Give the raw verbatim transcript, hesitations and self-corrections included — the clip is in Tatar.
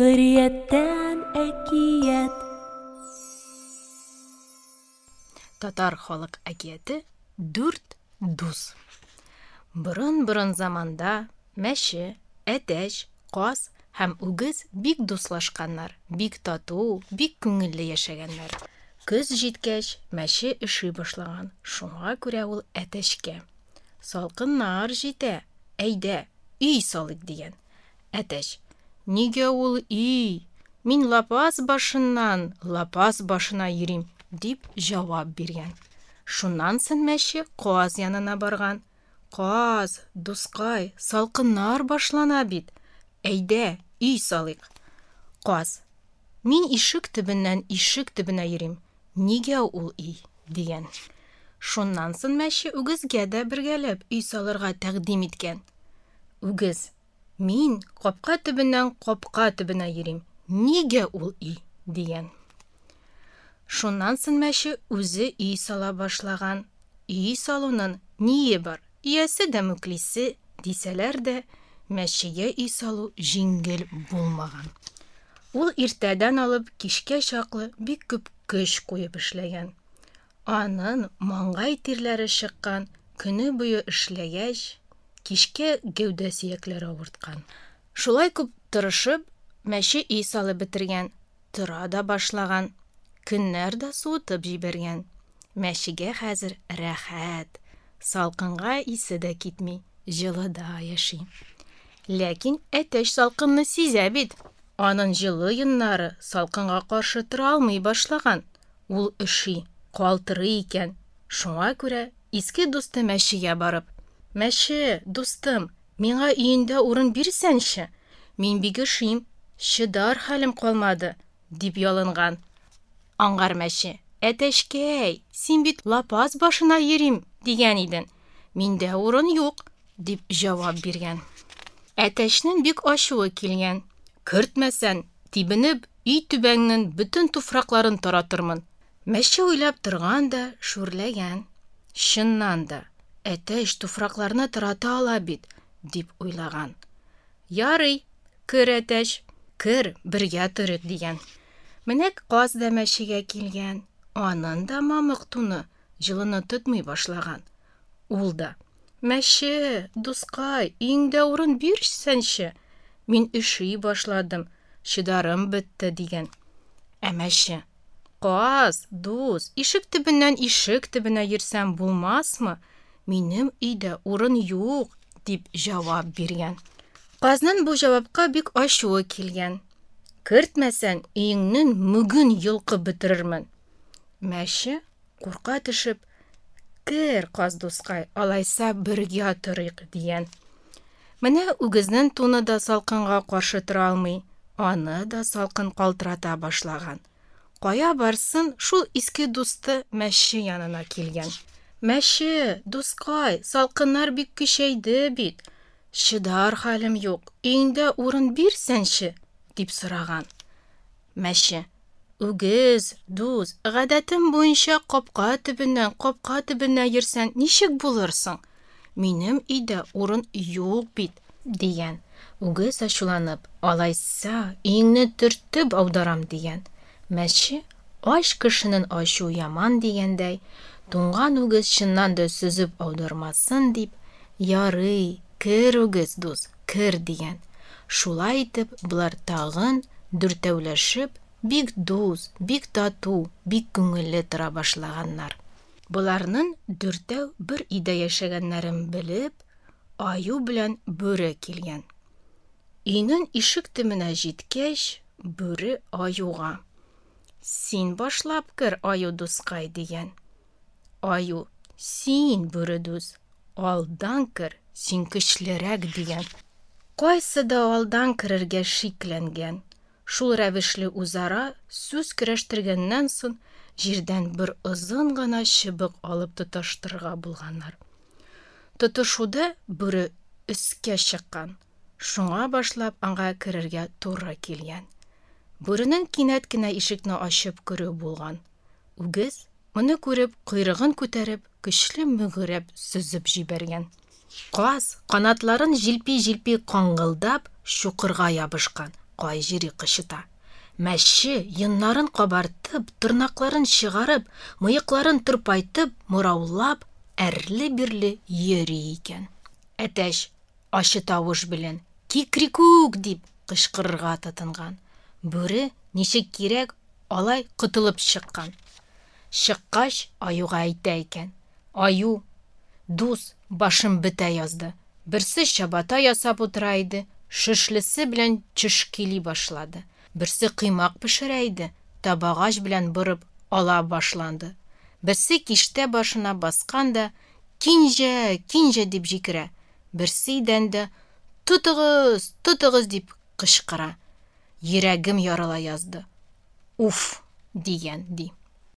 Җөмһүрияттән әкият. Татар халык әкияте Дүрт дус. Борын-борын заманда мәче, әтәч, каз һәм үгез бик дуслашканнар, бик тату, бик күңелле яшәгәннәр. Көз җиткәч, мәче өши башлаган. Шуңа күрә ул әтәчкә: "Салкыннар җитә, әйдә, өй салыйк", дигән. Әтәч: "Нигә ул өй? Мин лапас башыннан лапас башына йөрим", дип җавап биргән. Шуннан соң мәче каз янына барган. "Каз, дускай, салкыннар башлана бит. Әйдә, өй салыйк". Каз: "Мин ишек төбеннән ишек төбенә йөрим. Нигә ул өй?" дигән. Шуннан соң мәче үгезгә дә бергәләп өй салырга тәкъдим иткән. Үгез: "Мин капка төбеннән капка төбенә йөрим. Нигә ул өй?" дигән. Шуннан соң мәче үзе өй сала башлаган. Өй салуның ние бар? Иясе дә мүклисе, дисәләр дә, мәчегә өй салу җиңел булмаган. Ул иртәдән алып кичкә чаклы бик күп көч куеп эшләгән. Анын маңгай тирләре чыккан, көне буе эшләгәч, кичкә гәүдә сөякләре авырткан. Шулай күп тырышып, мәче өй салып бетергән, тора да башлаган. Көннәр дә суытып җибәргән. Мәчегә хәзер рәхәт, салкынга исе дә китми, җылыда яши. Ләкин әтәч салкынны сизә бит. Анын җылы йоннары салкынга каршы тора алмый башлаган. Ул өши, калтырый икән. Шуңа күрә иске дусты мәчегә барып: "Мәче, дустым, миңа өендә урын бирсәнче? Мин бик өшим, чыдар хәлем калмады", дип ялынган. Аңгар мәче: "Әтәчкәй, син бит лапас башына йөрим дигән идең. Миндә урын юк", дип җавап биргән. Әтәчнең бик ачуы килгән. "Кертмәсән, тибенеп, өй түбәңнең бөтен туфракларын таратырмын". Мәче уйлап торган да шүрләгән. "Чыннан да, әтәч туфракларны тарата ала бит", дип уйлаган. "Ярый, кер, әтәч, кер, бергә торыйк", дигән. Менә каз да мәчегә килгән. Анын да мамык туны җылыны тотмый башлаган. Ул да: "Мәче, дускай, өеңдә урын бирсәнче? Мин өши башладым, чыдарым бетте", дигән. Ә мәче: "Каз, дус, ишек төбеннән ишек төбенә йөрсәм булмасмы? Минем өйдә урын юк", дип җавап биргән. Казның бу җавапка бик ачуы килгән. "Кертмәсән, өеңнең мүген йолкып бетерермен". Мәче курка төшеп: "Кер, каз дускай, алайса бергә торыйк", дигән. Менә үгезнең туны да салкынга каршы тора алмый, аны да салкын калтырата башлаган. Кая барсын, шул иске дусты мәче янына килгән. "Мәче, дускай, салкыннар бик көчәйде бит. Чыдар хәлем юк, өеңдә урын бирсәнче?" дип сораган. Мәче: "Үгез, дус, гадәтем буенча капка төбеннән капка төбенә йөрсәң ничек булырсың? Минем өйдә урын юк бит", дигән. Үгез ачуланып: "Алайса, өеңне төртеп аударам", дигән. Мәче, ач кешенең ачуы яман дигәндәй, туңган үгез чыннан да сөзеп аудармасын дип: "Ярый, кер, үгез дус, кер", дигән. Шулай итеп, болар тагын дүртәүләшеп, бик дус, бик тату, бик күңелле тора башлаганнар. Боларның дүртәү бер өйдә яшәгәннәрен белеп, аю белән бүре килгән. Өйнең ишек төбенә җиткәч, бүре аюга: "Син башлап кер, аю дускай", дигән. Аю: "Син, бүре дус, алдан кер, син көчлерәк", дигән. Кайсы да алдан керергә шикләнгән. Шул рәвешле үзара сүз көрәштергәннән соң, җирдән бер озын гына чыбык алып тоташтырырга булганнар. Тотышуда бүре өскә чыккан. Шуңа башлап аңа керергә туры килгән. Бүренең кинәт кенә ишекне ачып керүе булган. Үгез, моны күреп, койрыгын күтәреп, көчле мөгрәп сөзеп җибәргән. Каз, канатларын җилпи-җилпи каңгылдап, чукырга ябышкан. Кай җире кычыта. Мәче, йоннарын кабартып, тырнакларын чыгарып, мыекларын тырпайтып, мораулап, әрле-бирле йөри икән. Әтәч ачы тавыш белән «Кикрикүк!» дип кычкырырга тотынган. Бүре, ничек кирәк, алай котылып чыккан. Чыккач, аюга әйтә икән: «Аю, дус, башым бетә язды. Берсе чабата ясап утыра иде, шөшлесе белән чөшкели башлады. Берсе коймак пешерә иде, табагач белән борып ала башланды. Берсе киштә башына баскан да, «Кинҗә, кинҗә!» дип җикерә. Берсе идәндә «Тотыгыз, тотыгыз!» дип кычкыра. Йөрәгем ярыла язды. Уф!» дигән, ди.